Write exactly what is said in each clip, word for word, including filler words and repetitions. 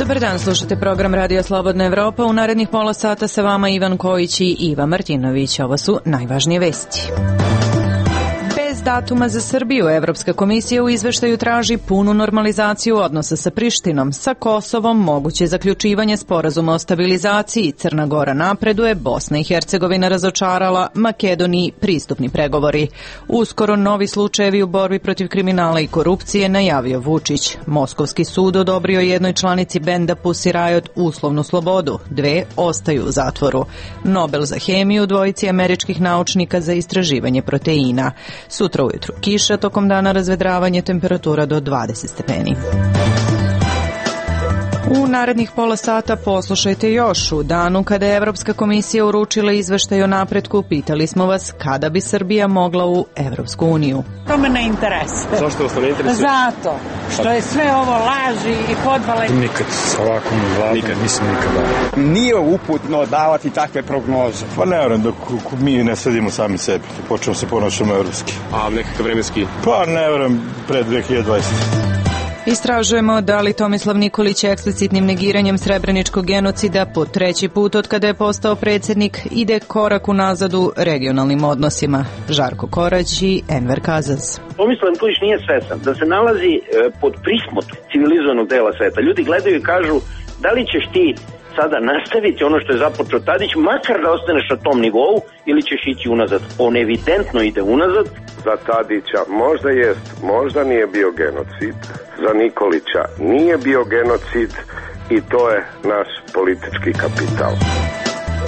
Dobar dan, slušate program Radio Slobodna Evropa. U narednih pola sata sa vama Ivan Kojić i Iva Martinović. Ovo su najvažnije vesti. Bez datuma za Srbiju, Evropska komisija u izveštaju traži punu normalizaciju odnosa sa Prištinom. Sa Kosovom moguće zaključivanje sporazuma o stabilizaciji. Crna Gora napreduje, Bosna i Hercegovina razočarala, Makedoniji pristupni pregovori. Uskoro novi slučajevi u borbi protiv kriminala i korupcije, najavio Vučić. Moskovski sud odobrio jednoj članici benda Pussy Riot uslovnu slobodu. Dve ostaju u zatvoru. Nobel za hemiju dvojici američkih naučnika za istraživanje proteina. Sutra ujutru kiša, tokom dana razvedravanje, temperatura do dvadeset stepeni. U narednih pola sata poslušajte još. U danu kada je Evropska komisija uručila izveštaj o napretku, pitali smo vas kada bi Srbija mogla u Evropsku uniju. To me ne interesuje. Zašto vas to ne interesuje? Zato što je sve ovo laži i podvale. Nikad ovako ne vladam, nikad, mislim nikada. Nije uputno davati takve prognoze. Pa ne vjerujem dok mi ne sledimo sami sebi, počnemo se ponašamo evropski. A nekakav vremenski? Pa ne vjerujem pred dve hiljade dvadesete. Istražujemo da li Tomislav Nikolić eksplicitnim negiranjem srebreničkog genocida po treći put od kada je postao predsjednik ide korak unazad u regionalnim odnosima. Žarko Korać i Enver Kazaz. Tomislav Nikolić nije svestan da se nalazi e, pod prismotom civilizovanog dela sveta. Ljudi gledaju i kažu da li ćeš ti sada nastaviti ono što je započeo Tadić, makar da ostaneš na tom nivou, ili ćeš ići unazad. On evidentno ide unazad. Za Tadića možda jest, možda nije bio genocid. Za Nikolića nije bio genocid i to je naš politički kapital.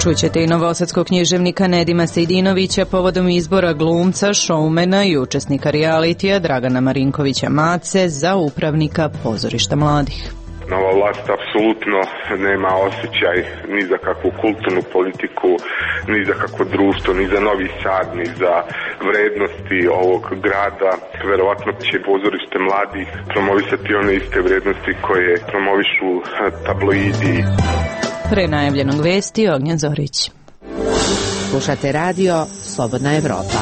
Čućete i novosadskog književnika Nedima Sejdinovića povodom izbora glumca, šoumena i učesnika realitija Dragana Marinkovića Mace za upravnika pozorišta mladih. Nova vlast apsolutno nema osjećaj ni za kakvu kulturnu politiku, ni za kakvo društvo, ni za Novi Sad, ni za vrednosti ovog grada. Verovatno će pozorište mladih promovisati one iste vrednosti koje promovišu tabloidi. Pre najavljenog vesti Ognjen Zorić. Slušate radio Slobodna Evropa.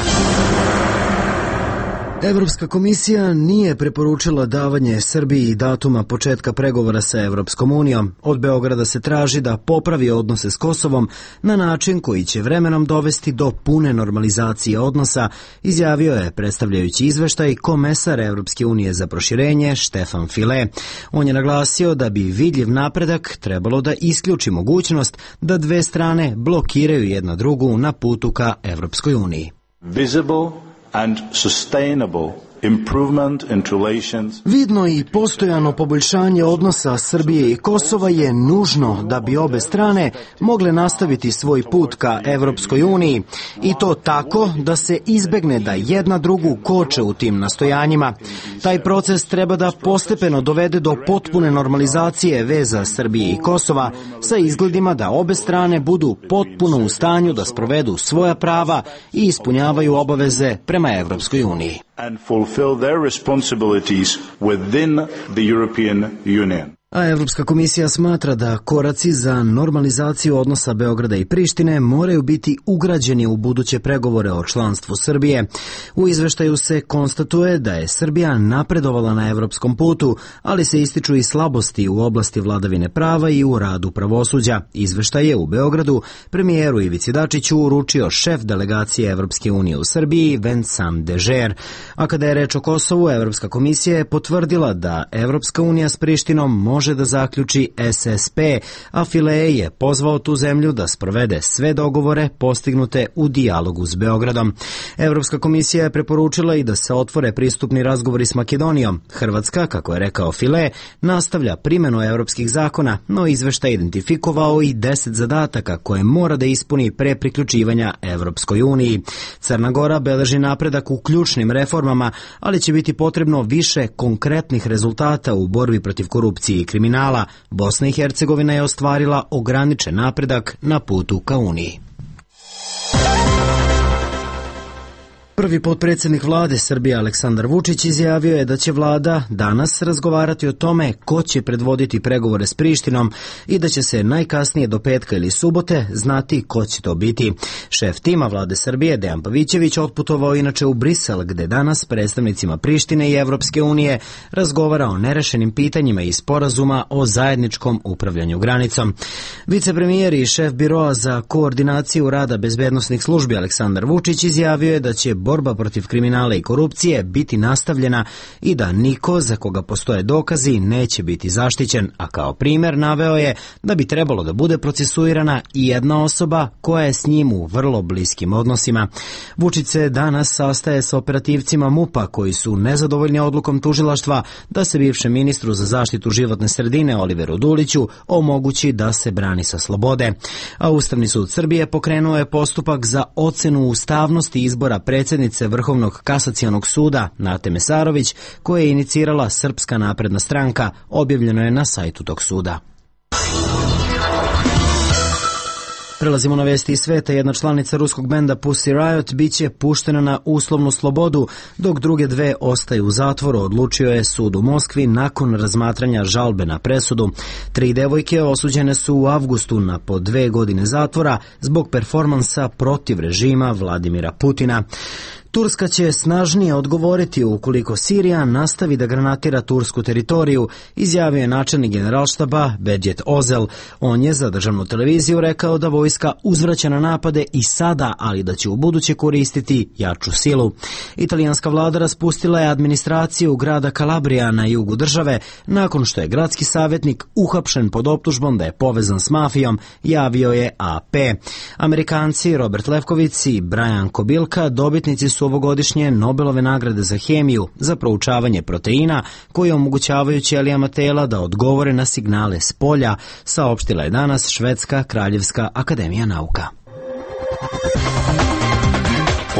Evropska komisija nije preporučila davanje Srbiji datuma početka pregovora sa Evropskom unijom. Od Beograda se traži da popravi odnose s Kosovom na način koji će vremenom dovesti do pune normalizacije odnosa, izjavio je predstavljajući izveštaj komesar Evropske unije za proširenje Štefan File. On je naglasio da bi vidljiv napredak trebalo da isključi mogućnost da dve strane blokiraju jedna drugu na putu ka Evropskoj uniji. Visible and sustainable improvement in relations. Vidno i postojano poboljšanje odnosa Srbije i Kosova je nužno da bi obe strane mogle nastaviti svoj put ka Evropskoj uniji i to tako da se izbegne da jedna drugu koče u tim nastojanjima. Taj proces treba da postepeno dovede do potpune normalizacije veza Srbije i Kosova sa izgledima da obe strane budu potpuno u stanju da sprovedu svoja prava i ispunjavaju obaveze prema Evropskoj uniji. And fulfill their responsibilities within the European Union. A Evropska komisija smatra da koraci za normalizaciju odnosa Beograda i Prištine moraju biti ugrađeni u buduće pregovore o članstvu Srbije. U izveštaju se konstatuje da je Srbija napredovala na evropskom putu, ali se ističu i slabosti u oblasti vladavine prava i u radu pravosuđa. Izveštaj je u Beogradu premijeru Ivici Dačiću uručio šef delegacije Evropske unije u Srbiji Vincent Dežer. A kada je reč o Kosovu, Evropska komisija je potvrdila da Evropska unija s Prištinom može može da zaključi S S P, a File je pozvao tu zemlju da sprovede sve dogovore postignute u dijalogu s Beogradom. Evropska komisija je preporučila i da se otvore pristupni razgovori s Makedonijom. Hrvatska, kako je rekao File, nastavlja primjenu evropskih zakona, no izveštaj identifikovao i deset zadataka koje mora da ispuni pre priključivanja Evropskoj uniji. Crna Gora beleži napredak u ključnim reformama, ali će biti potrebno više konkretnih rezultata u borbi protiv korupcije i kriminala. Bosna i Hercegovina je ostvarila ograničen napredak na putu ka Uniji. Prvi potpredsjednik vlade Srbije Aleksandar Vučić izjavio je da će vlada danas razgovarati o tome ko će predvoditi pregovore s Prištinom i da će se najkasnije do petka ili subote znati ko će to biti. Šef tima vlade Srbije Dejan Pavićević otputovao inače u Brisel, gde danas predstavnicima Prištine i Evropske unije razgovara o nerešenim pitanjima i sporazuma o zajedničkom upravljanju granicom. Vicepremijer i šef biroa za koordinaciju rada bezbednosnih službi Aleksandar Vučić izjavio je da će borba protiv kriminala i korupcije biti nastavljena i da niko za koga postoje dokazi neće biti zaštićen, a kao primer naveo je da bi trebalo da bude procesuirana i jedna osoba koja je s njim u vrlo bliskim odnosima. Vučić se danas sastaje s operativcima MUP-a koji su nezadovoljni odlukom tužilaštva da se bivšem ministru za zaštitu životne sredine Oliveru Duliću omogući da se brani sa slobode. A Ustavni sud Srbije pokrenuo je postupak za ocenu ustavnosti izbora predsjednice Vrhovnog kasacionog suda Nate Mesarović, koje je inicirala Srpska napredna stranka, objavljeno je na sajtu tog suda. Prelazimo na vesti iz sveta. Jedna članica ruskog benda Pussy Riot biće puštena na uslovnu slobodu, dok druge dve ostaju u zatvoru, odlučio je sud u Moskvi nakon razmatranja žalbe na presudu. Tri devojke osuđene su u avgustu na po dve godine zatvora zbog performansa protiv režima Vladimira Putina. Turska će snažnije odgovoriti ukoliko Sirija nastavi da granatira tursku teritoriju, izjavio je načelnik generalštaba Bedjet Ozel. On je za državnu televiziju rekao da vojska uzvraća na napade i sada, ali da će u buduće koristiti jaču silu. Italijanska vlada raspustila je administraciju grada Kalabrija na jugu države nakon što je gradski savjetnik uhapšen pod optužbom da je povezan s mafijom, javio je A P. Amerikanci Robert Lefkovic i Brian Kobilka dobitnici su ovogodišnje Nobelove nagrade za hemiju za proučavanje proteina koji omogućavaju ćelijama tela da odgovore na signale s polja, saopštila je danas Švedska kraljevska akademija nauka.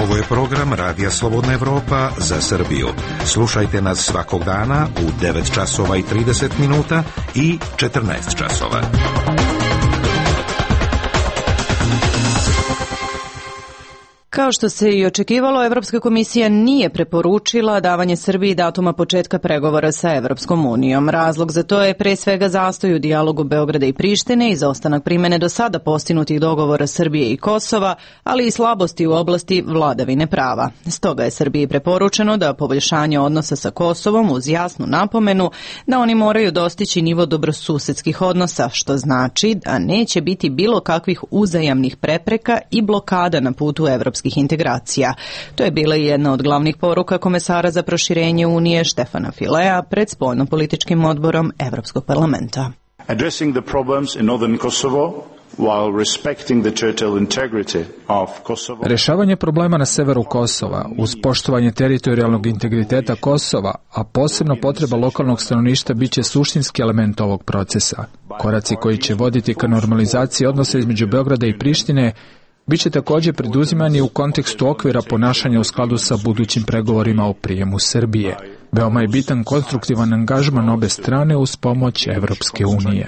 Ovo je program Radija Slobodna Evropa za Srbiju. Slušajte nas svakog dana u devet časova i trideset minuta i četrnaest časova. Kao što se i očekivalo, Evropska komisija nije preporučila davanje Srbiji datuma početka pregovora sa Evropskom unijom. Razlog za to je pre svega zastoj u dijalogu Beograda i Prištine, izostanak primene do sada postinutih dogovora Srbije i Kosova, ali i slabosti u oblasti vladavine prava. Stoga je Srbiji preporučeno da poboljšanje odnosa sa Kosovom uz jasnu napomenu da oni moraju dostići nivo dobrosusedskih odnosa, što znači da neće biti bilo kakvih uzajamnih prepreka i blokada na putu Evropske integracija. To je bila i jedna od glavnih poruka komesara za proširenje Unije Štefana Filea pred spoljno-političkim odborom Evropskog parlamenta. Addressing the problems in northern Kosovo while respecting the territorial integrity of Kosovo. Rešavanje problema na severu Kosova uz poštovanje teritorijalnog integriteta Kosova, a posebno potreba lokalnog stanovništva biće suštinski element ovog procesa. Koraci koji će voditi ka normalizaciji odnosa između Beograda i Prištine biće također preduzimani u kontekstu okvira ponašanja u skladu sa budućim pregovorima o prijemu Srbije. Veoma je bitan konstruktivan angažman obe strane uz pomoć Evropske unije.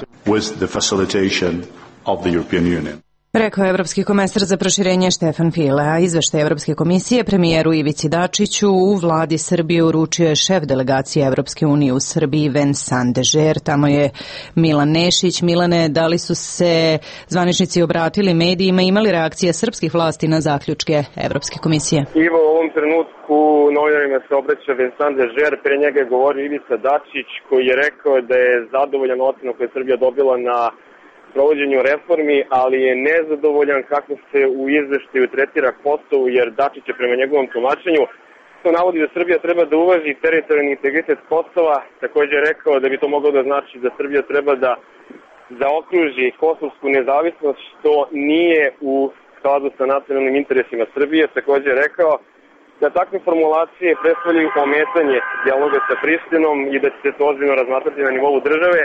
Rekao je Evropski komesar za proširenje Štefan File, a izveštaj Evropske komisije premijeru Ivici Dačiću u vladi Srbije uručio je šef delegacije Evropske unije u Srbiji Vincent Dežer. Tamo je Milan Nešić. Milane, da li su se zvaničnici obratili medijima, imali reakcije srpskih vlasti na zaključke Evropske komisije? Ivo, u ovom trenutku novinarima se obraća Vincent Dežer, pre njega je govorio Ivica Dačić koji je rekao da je zadovoljan ocenom koje je Srbija dobila na provođenju reformi, ali je nezadovoljan kako se u izveštaju tretira Kosovo, jer Dačić je prema njegovom tumačenju to navodi da Srbija treba da uvaži teritorijalni integritet Kosova. Također je rekao da bi to moglo da znači da Srbija treba da zaokruži kosovsku nezavisnost, što nije u skladu sa nacionalnim interesima Srbije. Također je rekao da takve formulacije predstavljaju ometanje dijaloga sa Prištinom i da će se to ozbiljno razmatrati na nivou države.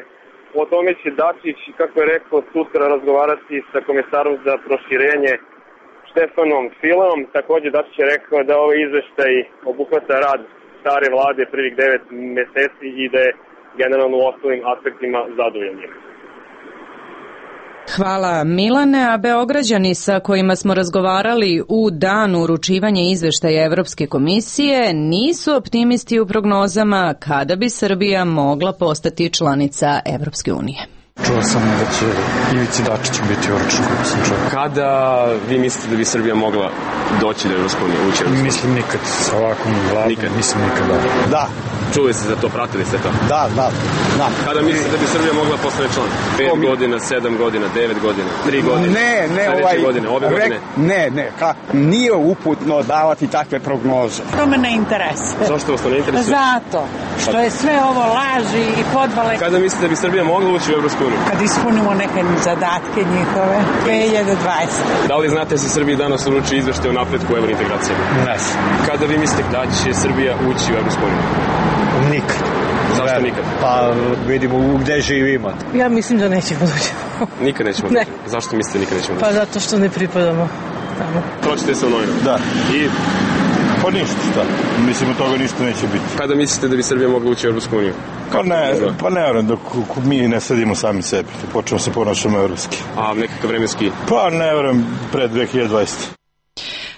O tome će Dačić, kako je rekao, sutra razgovarati sa komisarom za proširenje Štefanom Fileom. Također Dačić je rekao da ovaj izveštaj obuhvata rad stare vlade prvih devet meseci i da je generalno u ostalim aspektima zadovoljan. Hvala Milane, a Beograđani sa kojima smo razgovarali u danu uručivanja izveštaja Evropske komisije nisu optimisti u prognozama kada bi Srbija mogla postati članica Evropske unije. Čuo sam da će Ivici Dačiću biti uručen, kako sam čuo. Kada vi mislite da bi Srbija mogla doći do Evropske unije, ući Evropske unije? Mislim nikad, sa ovakvom vladom, nikad. Mislim nikad, da. Da. Čuli ste za to, pratili ste to? Da, da, da. Kada mislite da bi Srbija mogla postati član? Pet mi... godina, sedam godina, devet godina, tri godine? Ne, ne, Sljedeće ovaj... godine, ove godine? Rek, ne, ne, ka, nije uputno davati takve prognoze. To me ne interesuje. Zašto vas to ne interesuje? Zato što je sve ovo laži i podvale. Kada mislite da bi Srbija mogla ući u Evropsku uniju? Kad ispunimo neke zadatke njihove, dve hiljade dvadesete. Da li znate da se Srbiji danas uruči izveštaj o napretku u evrointegracijama? Ne. Kada vi mislite da će Srbija ući u Evropsku uniju? Nikad. Zašto nikad? Pa vidimo gde živimo. Ja mislim da nećemo doći. Nikad nećemo doći? Ne. Zašto mislite nikad nećemo doći? Pa zato što ne pripadamo tamo. Pročite se u novinama? Da. I? Pa ništa, šta? Mislim, od toga ništa neće biti. Kada mislite da bi Srbija mogla ući u Evropsku uniju? Pa ne, pa ne vjerujem, dok mi ne sedimo sami sebi, da počnemo se ponašamo evropski. A nekakav vremenski? Pa ne vjerujem, pre dve hiljade dvadesete.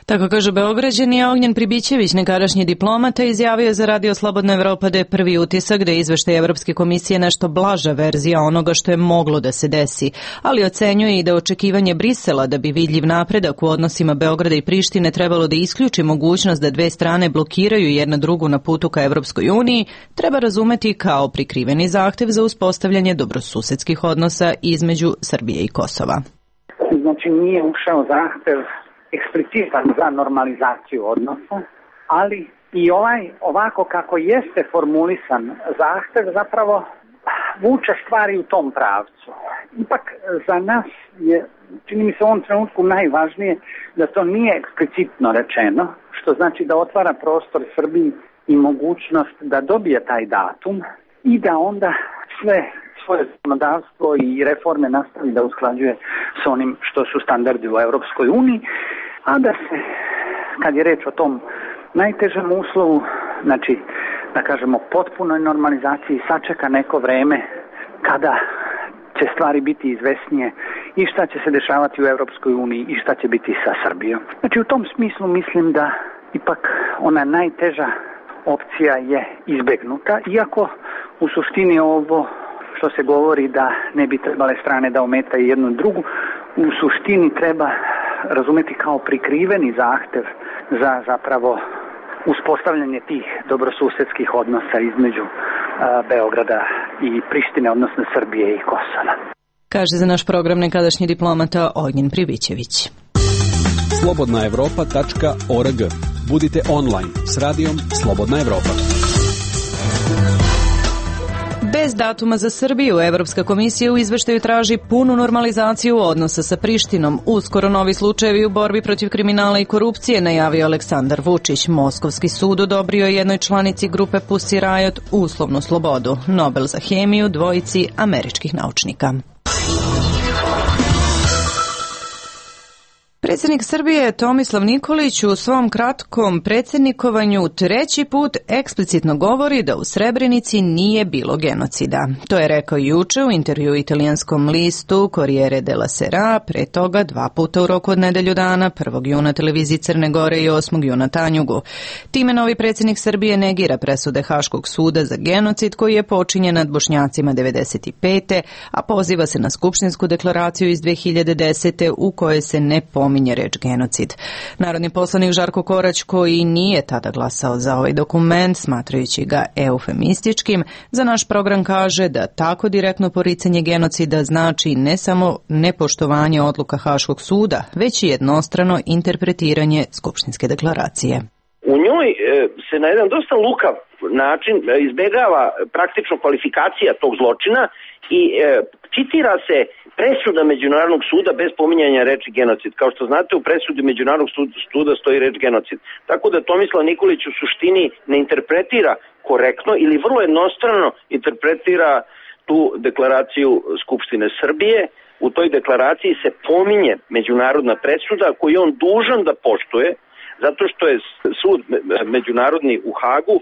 Tako kaže Beograđani, a Ognjen Pribićević, nekadašnji diplomata, izjavio za Radio Slobodna Evropa da je prvi utisak da je izveštaj Evropske komisije nešto blaža verzija onoga što je moglo da se desi, ali ocenjuje i da očekivanje Brisela da bi vidljiv napredak u odnosima Beograda i Prištine trebalo da isključi mogućnost da dve strane blokiraju jedna drugu na putu ka Evropskoj uniji, treba razumeti kao prikriveni zahtev za uspostavljanje dobrosusedskih odnosa između Srbije i Kosova. Znači nije ušao zahtev eksplicitan za normalizaciju odnosa, ali i ovaj ovako kako jeste formulisan zahtev zapravo vuče stvari u tom pravcu. Ipak za nas je, čini mi se u ovom trenutku najvažnije da to nije eksplicitno rečeno, što znači da otvara prostor Srbiji i mogućnost da dobije taj datum i da onda sve svoje zakonodavstvo i reforme nastavi da usklađuje s onim što su standardi u Europskoj uniji, a da se, kad je reč o tom najtežem uslovu, znači, da kažemo, potpunoj normalizaciji, sačeka neko vreme kada će stvari biti izvesnije i šta će se dešavati u Europskoj uniji i šta će biti sa Srbijom. Znači, u tom smislu mislim da ipak ona najteža opcija je izbegnuta, iako u suštini ovo što se govori da ne bi trebale strane da ometaju jednu drugu, u suštini treba razumeti kao prikriveni zahtev za zapravo uspostavljanje tih dobrosusedskih odnosa između a, Beograda i Prištine, odnosno Srbije i Kosova. Kaže za naš program nekadašnji diplomata Ognjen Pribićević. slobodna evropa tačka org. Budite online s radijom Slobodna Evropa. Bez datuma za Srbiju, Evropska komisija u izveštaju traži punu normalizaciju odnosa sa Prištinom. Uskoro novi slučajevi u borbi protiv kriminala i korupcije, najavio Aleksandar Vučić. Moskovski sud odobrio jednoj članici grupe Pussy Riot uslovnu slobodu. Nobel za hemiju dvojici američkih naučnika. Predsjednik Srbije Tomislav Nikolić u svom kratkom predsjednikovanju treći put eksplicitno govori da u Srebrenici nije bilo genocida. To je rekao juče u intervju italijanskom listu Corriere della Sera, pre toga dva puta u roku od nedelju dana, prvog juna televiziji Crne Gore i osmog juna Tanjugu. Time novi predsjednik Srbije negira presude Haškog suda za genocid koji je počinjen nad Bošnjacima devedeset pete. a poziva se na Skupštinsku deklaraciju iz dve hiljade desete. u kojoj se ne pominje reč genocid. Narodni poslanik Žarko Korać, koji nije tada glasao za ovaj dokument, smatrajući ga eufemističkim, za naš program kaže da tako direktno poricanje genocida znači ne samo nepoštovanje odluka Haškog suda, već i jednostrano interpretiranje Skupštinske deklaracije. U njoj se na jedan dosta lukav način izbegava praktično kvalifikacija tog zločina i citira se presuda Međunarodnog suda bez pominjanja reči genocid. Kao što znate, u presudi Međunarodnog suda stoji reč genocid. Tako da Tomislav Nikolić u suštini ne interpretira korektno ili vrlo jednostrano interpretira tu deklaraciju Skupštine Srbije. U toj deklaraciji se pominje međunarodna presuda koju je on dužan da poštuje zato što je sud međunarodni u Hagu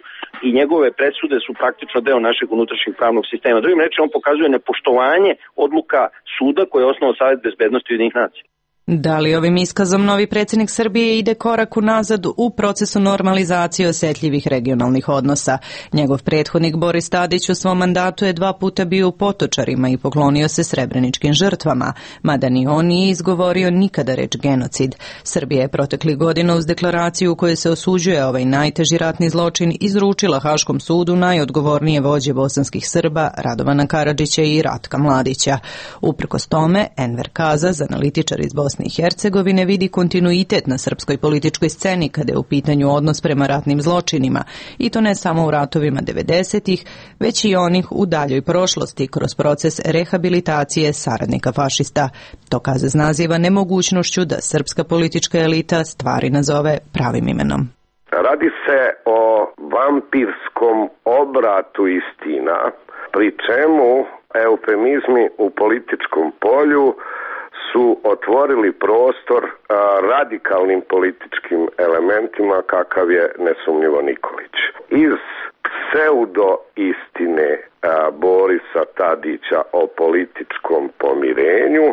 i njegove presude su praktično deo našeg unutrašnjeg pravnog sistema. Drugim rečima, on pokazuje nepoštovanje odluka suda koje je osnovao Savet bezbednosti Ujedinjenih nacija. Da li ovim iskazom novi predsjednik Srbije ide korak unazad u procesu normalizacije osjetljivih regionalnih odnosa? Njegov prethodnik Boris Tadić u svom mandatu je dva puta bio u Potočarima i poklonio se srebreničkim žrtvama, mada ni on nije izgovorio nikada reč genocid. Srbija je proteklih godina uz deklaraciju u kojoj se osuđuje ovaj najteži ratni zločin izručila Haškom sudu najodgovornije vođe bosanskih Srba Radovana Karadžića i Ratka Mladića. Uprkos tome, Enver Kazaz, analitičar iz Bosne i Hercegovine, vidi kontinuitet na srpskoj političkoj sceni kada je u pitanju odnos prema ratnim zločinima, i to ne samo u ratovima devedesetih, već i onih u daljoj prošlosti kroz proces rehabilitacije saradnika fašista. To Kazaz naziva nemogućnošću da srpska politička elita stvari nazove pravim imenom. Radi se o vampirskom obratu istina, pri čemu eufemizmi u političkom polju su otvorili prostor a, radikalnim političkim elementima kakav je nesumnjivo Nikolić. Iz pseudo istine a, Borisa Tadića o političkom pomirenju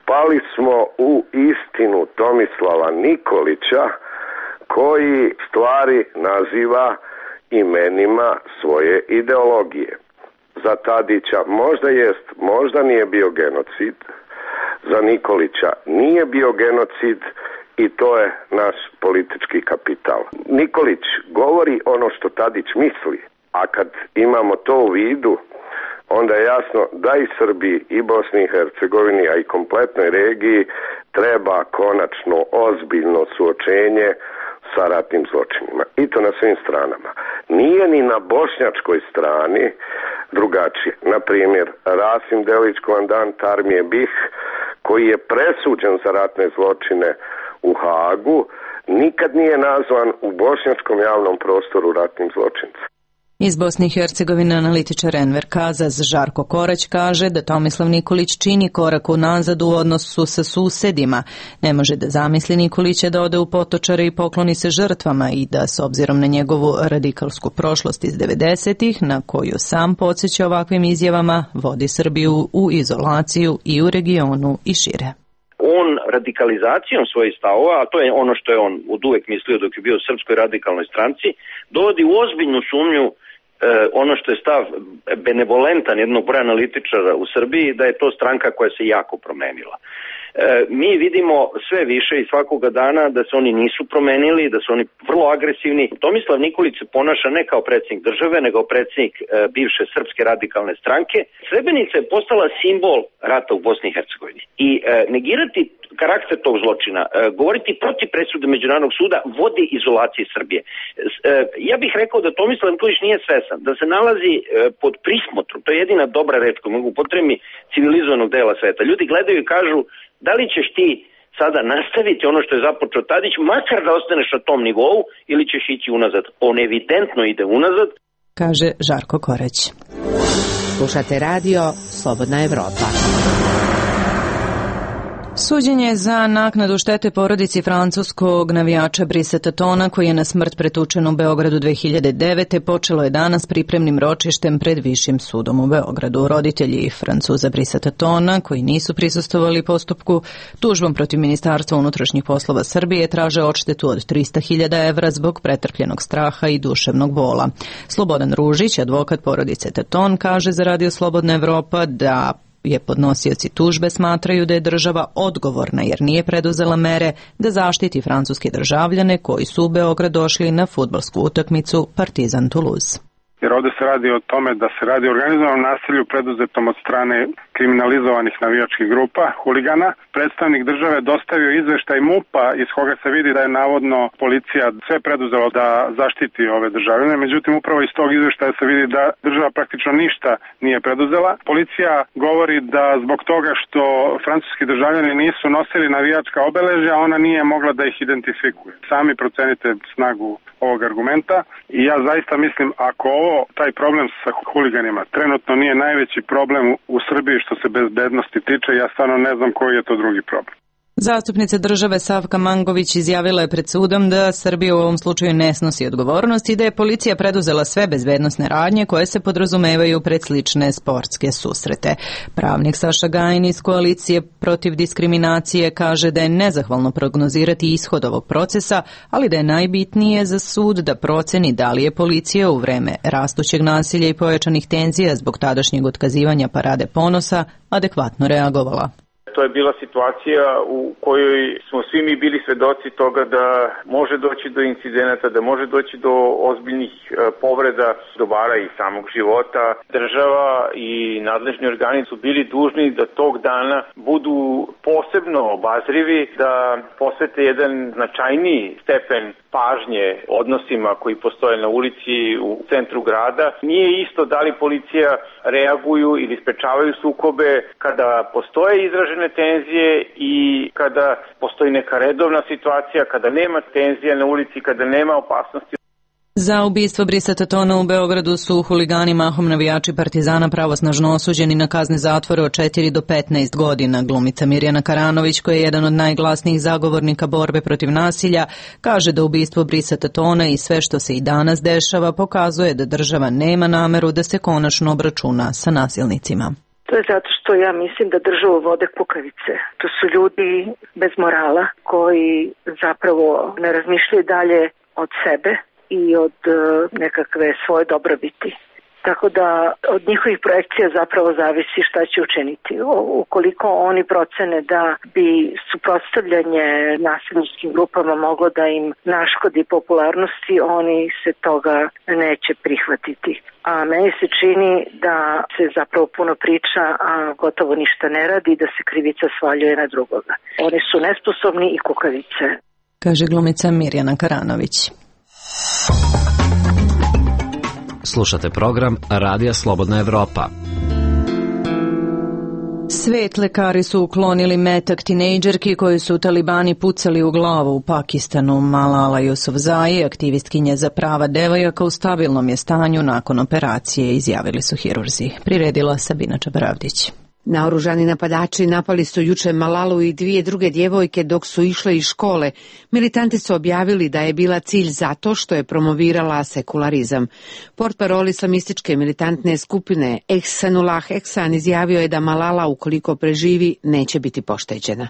pali smo u istinu Tomislava Nikolića koji stvari naziva imenima svoje ideologije. Za Tadića možda jest, možda nije bio genocid, za Nikolića nije bio genocid i to je naš politički kapital. Nikolić govori ono što Tadić misli, a kad imamo to u vidu, onda je jasno da i Srbiji i Bosni i Hercegovini, a i kompletnoj regiji treba konačno ozbiljno suočenje sa ratnim zločinima. I to na svim stranama. Nije ni na bošnjačkoj strani drugačije. Na primjer, Rasim Delić, komandant armije B i H, koji je presuđen za ratne zločine u Hagu, nikad nije nazvan u bošnjačkom javnom prostoru ratnim zločincem. Iz Bosne i Hercegovine analitičar Enver Kazaz Žarko Korać kaže da Tomislav Nikolić čini korak unazad u odnosu sa susedima. Ne može da zamisli Nikolića da ode u Potočare i pokloni se žrtvama i da, s obzirom na njegovu radikalsku prošlost iz devedesetih, na koju sam podsjeća ovakvim izjavama, vodi Srbiju u izolaciju i u regionu i šire. On radikalizacijom svojih stavova, a to je ono što je on od uvek mislio dok je bio u Srpskoj radikalnoj stranci, dovodi u ozbiljnu sumnju ono što je stav benevolentan jednog broja analitičara u Srbiji, da je to stranka koja se jako promenila. E, mi vidimo sve više i svakoga dana da se oni nisu promenili, da su oni vrlo agresivni. Tomislav Nikolić se ponaša ne kao predsjednik države, nego predsjednik e, bivše Srpske radikalne stranke. Srebrenica je postala simbol rata u Bosni i Hercegovini. I e, negirati karakter tog zločina, e, govoriti protiv presude Međunarodnog suda vodi izolaciji Srbije. E, ja bih rekao da Tomislav Nikolić nije svesan, da se nalazi e, pod prismotrom, to je jedina dobra reč koju mogu upotrebiti, civilizovanog dela sveta. Ljudi gledaju i kažu, da li ćeš ti sada nastaviti ono što je započeo Tadić, makar da ostaneš na tom nivou, ili ćeš ići unazad. On evidentno ide unazad, kaže Žarko Korać. Slušate radio Slobodna Evropa. Suđenje za naknadu štete porodici francuskog navijača Brisa Tatona, koji je na smrt pretučen u Beogradu dve hiljade devete. počelo je danas pripremnim ročištem pred Višim sudom u Beogradu. Roditelji Francuza Brisa Tatona, koji nisu prisustvovali postupku, tužbom protiv Ministarstva unutrašnjih poslova Srbije traže odštetu od trista hiljada evra zbog pretrpljenog straha i duševnog bola. Slobodan Ružić, advokat porodice Taton, kaže za Radio Slobodna Evropa da je podnosioci tužbe smatraju da je država odgovorna jer nije preduzela mere da zaštiti francuske državljane koji su u Beograd došli na fudbalsku utakmicu Partizan Toulouse. Jer ovde se radi o tome da se radi o organizovanom nasilju preduzetom od strane kriminalizovanih navijačkih grupa, huligana. Predstavnik države dostavio izveštaj MUP-a iz koga se vidi da je navodno policija sve preduzela da zaštiti ove državljane. Međutim, upravo iz tog izveštaja se vidi da država praktično ništa nije preduzela. Policija govori da zbog toga što francuski državljani nisu nosili navijačka obeležja, ona nije mogla da ih identifikuje. Sami procenite snagu ovog argumenta i ja zaista mislim, ako ovo, taj problem sa huliganima trenutno nije najveći problem u Srbiji što se bezbednosti tiče, ja stvarno ne znam koji je to drugi problem. Zastupnica države Savka Mangović izjavila je pred sudom da Srbija u ovom slučaju ne snosi odgovornost i da je policija preduzela sve bezbednosne radnje koje se podrazumevaju pred slične sportske susrete. Pravnik Saša Gajin iz Koalicije protiv diskriminacije kaže da je nezahvalno prognozirati ishod ovog procesa, ali da je najbitnije za sud da proceni da li je policija u vreme rastućeg nasilja i pojačanih tenzija zbog tadašnjeg otkazivanja Parade ponosa adekvatno reagovala. To je bila situacija u kojoj smo svi mi bili svedoci toga da može doći do incidenata, da može doći do ozbiljnih povreda dobara i samog života. Država i nadležni organi su bili dužni da tog dana budu posebno obazrivi, da posvete jedan značajniji stepen pažnje odnosima koji postoje na ulici u centru grada. Nije isto da li policija reaguju ili sprečavaju sukobe kada postoje izražene tenzije i kada postoji neka redovna situacija, kada nema tenzija na ulici, kada nema opasnosti. Za ubistvo Brisa Tatona u Beogradu su huligani mahom navijači Partizana pravosnažno osuđeni na kazne zatvora od četiri do petnaest godina. Glumica Mirjana Karanović, koja je jedan od najglasnijih zagovornika borbe protiv nasilja, kaže da ubistvo Brisa Tatona i sve što se i danas dešava pokazuje da država nema nameru da se konačno obračuna sa nasilnicima. To je zato što ja mislim da državu vode kukavice. To su ljudi bez morala koji zapravo ne razmišljaju dalje od sebe i od nekakve svoje dobrobiti. Tako da od njihovih projekcija zapravo zavisi šta će učiniti. Ukoliko oni procene da bi suprotstavljanje nasilničkim grupama moglo da im naškodi popularnosti, oni se toga neće prihvatiti. A meni se čini da se zapravo puno priča, a gotovo ništa ne radi, da se krivica svaljuje na drugoga. Oni su nesposobni i kukavice. Kaže glumica Mirjana Karanović. Slušate program Radija Slobodna Evropa. Svet lekari su uklonili metak tinejdžerki koju su talibani pucali u glavu u Pakistanu. Malala Yousafzai, aktivistkinja za prava devojaka, u stabilnom je stanju nakon operacije, izjavili su hirurzi. Priredila Sabina Čabaravdić. Naoružani napadači napali su juče Malalu i dvije druge djevojke dok su išle iz škole. Militanti su objavili da je bila cilj zato što je promovirala sekularizam. Portparol islamističke militantne skupine Ehsanullah Ehsan izjavio je da Malala, ukoliko preživi, neće biti pošteđena.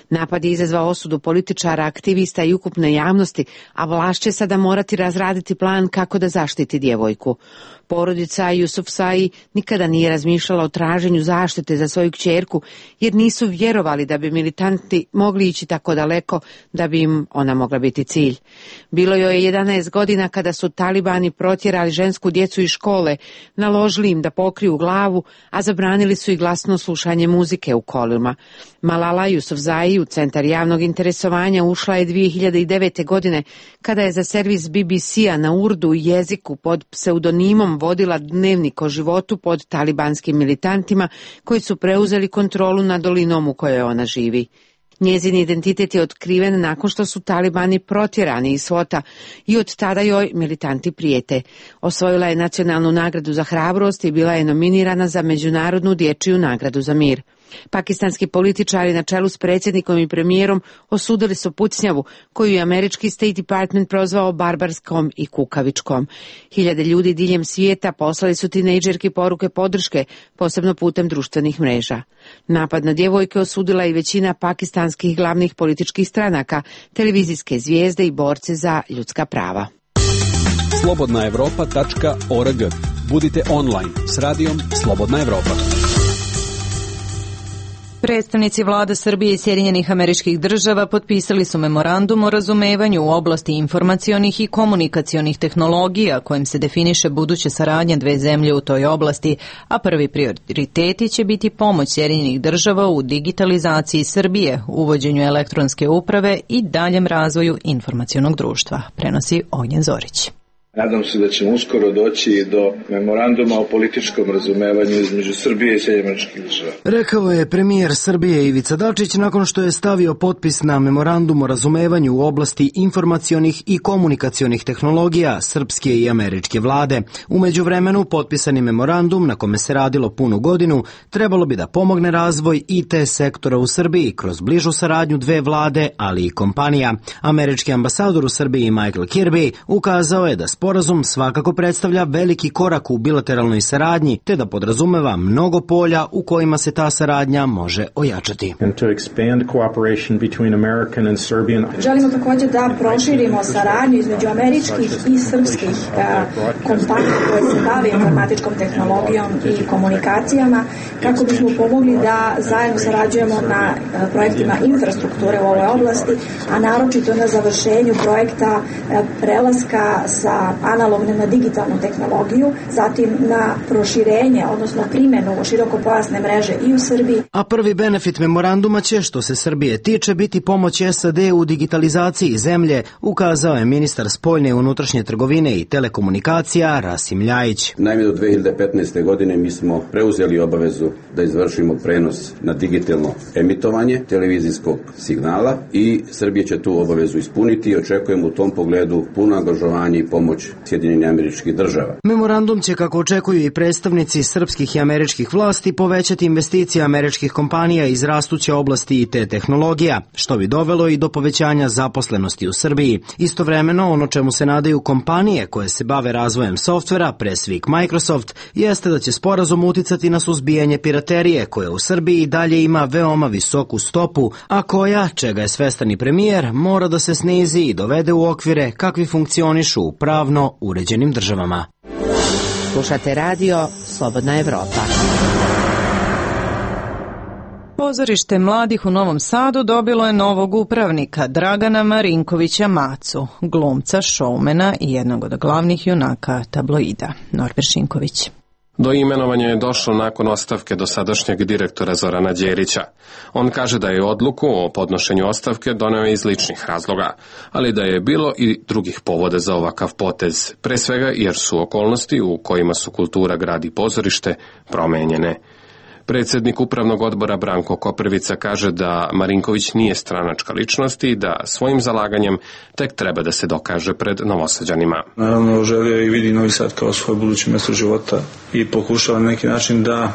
Napad je izazvao osudu političara, aktivista i ukupne javnosti, a vlast će sada morati razraditi plan kako da zaštiti djevojku. Porodica Yousafzai nikada nije razmišljala o traženju zaštite za svoju kćerku, jer nisu vjerovali da bi militanti mogli ići tako daleko da bi im ona mogla biti cilj. Bilo joj je jedanaest godina kada su talibani protjerali žensku djecu iz škole, naložili im da pokriju glavu, a zabranili su i glasno slušanje muzike u kolima. Malala Yousafzai u centar javnog interesovanja ušla je dvije hiljade devete. godine kada je za servis B B C-a na urdu jeziku pod pseudonimom vodila dnevnik o životu pod talibanskim militantima koji su preuzeli kontrolu nad dolinom u kojoj ona živi. Njezin identitet je otkriven nakon što su talibani protjerani iz Svota i od tada joj militanti prijete. Osvojila je nacionalnu nagradu za hrabrost i bila je nominirana za Međunarodnu dječju nagradu za mir. Pakistanski političari na čelu s predsjednikom i premijerom osudili su pucnjavu koju je američki State Department prozvao barbarskom i kukavičkom. Hiljade ljudi diljem svijeta poslali su tinejdžerki poruke podrške, posebno putem društvenih mreža. Napad na djevojke osudila i većina pakistanskih glavnih političkih stranaka, televizijske zvijezde i borci za ljudska prava. slobodna evropa tačka org. Budite online s radijom Slobodna Evropa. Predstavnici vlada Srbije i Sjedinjenih Američkih Država potpisali su memorandum o razumevanju u oblasti informacionih i komunikacionih tehnologija kojim se definiše buduće saradnje dve zemlje u toj oblasti, a prvi prioriteti će biti pomoć Sjedinjenih Država u digitalizaciji Srbije, uvođenju elektronske uprave i daljem razvoju informacionog društva, prenosi Ognjen Zorić. Nadam se da ćemo uskoro doći do memoranduma o političkom razumevanju između Srbije i Sjedinjenih Američkih Država. Rekao je premijer Srbije Ivica Dačić nakon što je stavio potpis na memorandum o razumevanju u oblasti informacionih i komunikacionih tehnologija srpske i američke vlade. U međuvremenu potpisani memorandum na kome se radilo punu godinu trebalo bi da pomogne razvoj I T sektora u Srbiji kroz bližu saradnju dve vlade, ali i kompanija. Američki ambasador u Srbiji Michael Kirby ukazao je da sporazum svakako predstavlja veliki korak u bilateralnoj saradnji, te da podrazumeva mnogo polja u kojima se ta saradnja može ojačati. Želimo također da proširimo saradnju između američkih i srpskih kompanija koje se bave informatičkom tehnologijom i komunikacijama, kako bismo pomogli da zajedno sarađujemo na projektima infrastrukture u ovoj oblasti, a naročito na završenju projekta prelaska sa analogne na digitalnu tehnologiju, zatim na proširenje, odnosno primjenu širokopojasne mreže i u Srbiji. A prvi benefit memoranduma će, što se Srbije tiče, biti pomoć S A D u digitalizaciji zemlje, ukazao je ministar spoljne i unutrašnje trgovine i telekomunikacija Rasim Ljajić. Naime, do dve hiljade petnaeste. godine mi smo preuzeli obavezu da izvršimo prenos na digitalno emitovanje televizijskog signala i Srbija će tu obavezu ispuniti i očekujemo u tom pogledu puno angažovanje i pomoć Sjedinjenih Američkih Država. Memorandum će, kako očekuju i predstavnici srpskih i američkih vlasti, povećati investicije američkih kompanija iz rastuće oblasti I T tehnologija, što bi dovelo i do povećanja zaposlenosti u Srbiji. Istovremeno, ono čemu se nadaju kompanije koje se bave razvojem softvera, pre svih Microsoft, jeste da će sporazum uticati na suzbijanje piraterije, koja u Srbiji i dalje ima veoma visoku stopu, a koja, čega je svestan i premijer, mora da se snizi i dovede u okvire kakvi funkcionišu u pravno uređenim državama. Slušate radio Slobodna Evropa. Pozorište mladih u Novom Sadu dobilo je novog upravnika, Dragana Marinkovića Macu, glumca, šoumena i jednog od glavnih junaka tabloida. Norbert Šinković. Do imenovanja je došlo nakon ostavke dosadašnjeg direktora Zorana Đerića. On kaže da je odluku o podnošenju ostavke doneo iz ličnih razloga, ali da je bilo i drugih povoda za ovakav potez, pre svega jer su okolnosti u kojima su kultura, grad i pozorište promenjene. Predsjednik upravnog odbora Branko Koprivica kaže da Marinković nije stranačka ličnost i da svojim zalaganjem tek treba da se dokaže pred Novosađanima. Naravno, želio i vidi Novi Sad kao svoje buduće mjesto života i pokušava na neki način da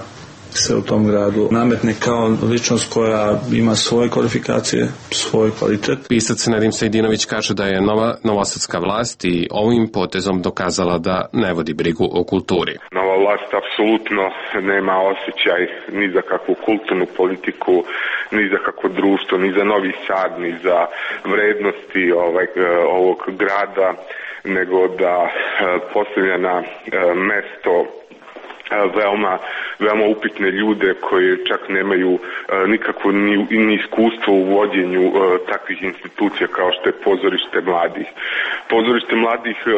se u tom gradu nametne kao ličnost koja ima svoje kvalifikacije, svoj kvalitet. Pisac Nedim Sejdinović kaže da je nova novosadska vlast i ovim potezom dokazala da ne vodi brigu o kulturi. Nova vlast apsolutno nema osjećaj ni za kakvu kulturnu politiku, ni za kakvo društvo, ni za Novi Sad, ni za vrednosti ovaj, ovog grada, nego da postavlja na mesto veoma, veoma upitne ljude koji čak nemaju uh, nikakvo ni, ni iskustvo u vođenju uh, takvih institucija kao što je pozorište mladih. Pozorište mladih uh,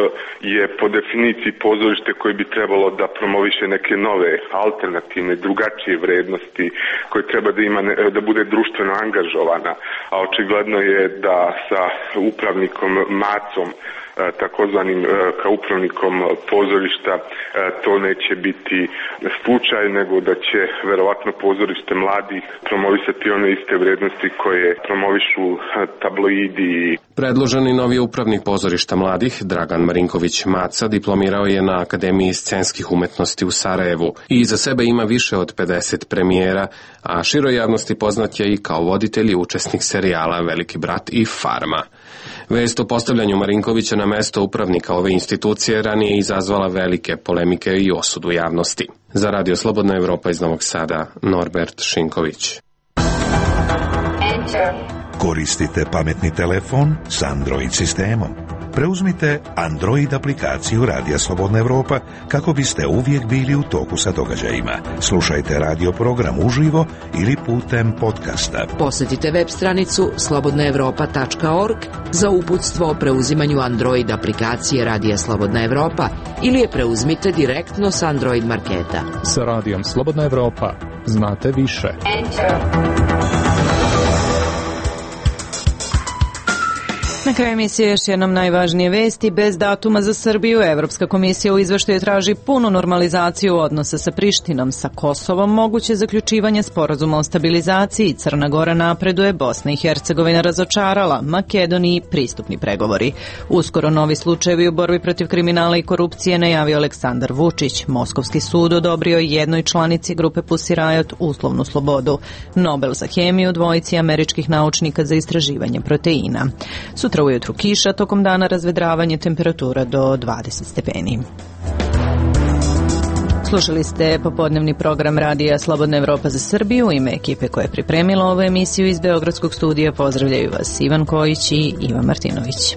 je po definiciji pozorište koje bi trebalo da promoviše neke nove, alternativne, drugačije vrednosti, koje treba da ima ne, da bude društveno angažovana, a očigledno je da sa upravnikom Macom, takozvanim kao upravnikom pozorišta, to neće biti slučaj, nego da će verovatno pozorište mladih promovisati one iste vrednosti koje promovišu tabloidi. Predloženi novi upravnik pozorišta mladih, Dragan Marinković Maca, diplomirao je na Akademiji scenskih umetnosti u Sarajevu i iza sebe ima više od pedeset premijera, a široj javnosti poznat je i kao voditelj i učesnik serijala Veliki brat i Farma. Vest o postavljanju Marinkovića na mesto upravnika ove institucije ranije izazvala velike polemike i osudu javnosti. Za Radio Slobodna Evropa iz Novog Sada, Norbert Šinković. Koristite pametni telefon s Android sistemom. Preuzmite Android aplikaciju Radija Slobodna Evropa kako biste uvijek bili u toku sa događajima. Slušajte radio program uživo ili putem podcasta. Posjetite web stranicu slobodna evropa tačka org za uputstvo o preuzimanju Android aplikacije Radija Slobodna Evropa ili je preuzmite direktno s Android marketa. Sa Radijom Slobodna Evropa znate više. Enter. Na kraju emisije još jednom najvažnije vesti. Bez datuma za Srbiju, Evropska komisija u izveštaju traži punu normalizaciju odnosa sa Prištinom. Sa Kosovom moguće zaključivanje sporazuma o stabilizaciji. Crna Gora napreduje, Bosna i Hercegovina razočarala, Makedoniji pristupni pregovori. Uskoro novi slučajevi u borbi protiv kriminala i korupcije najavio Aleksandar Vučić. Moskovski sud odobrio jednoj članici grupe Pussy Riot uslovnu slobodu. Nobel za hemiju dvojici američkih naučnika za istraživanje proteina. Sutra ujutru kiša, tokom dana razvedravanje, temperatura do dvadeset stepeni. Slušali ste popodnevni program Radija Slobodna Evropa za Srbiju. U ime ekipe koja je pripremila ovu emisiju iz Beogradskog studija pozdravljaju vas Ivan Kojić i Ivan Martinović.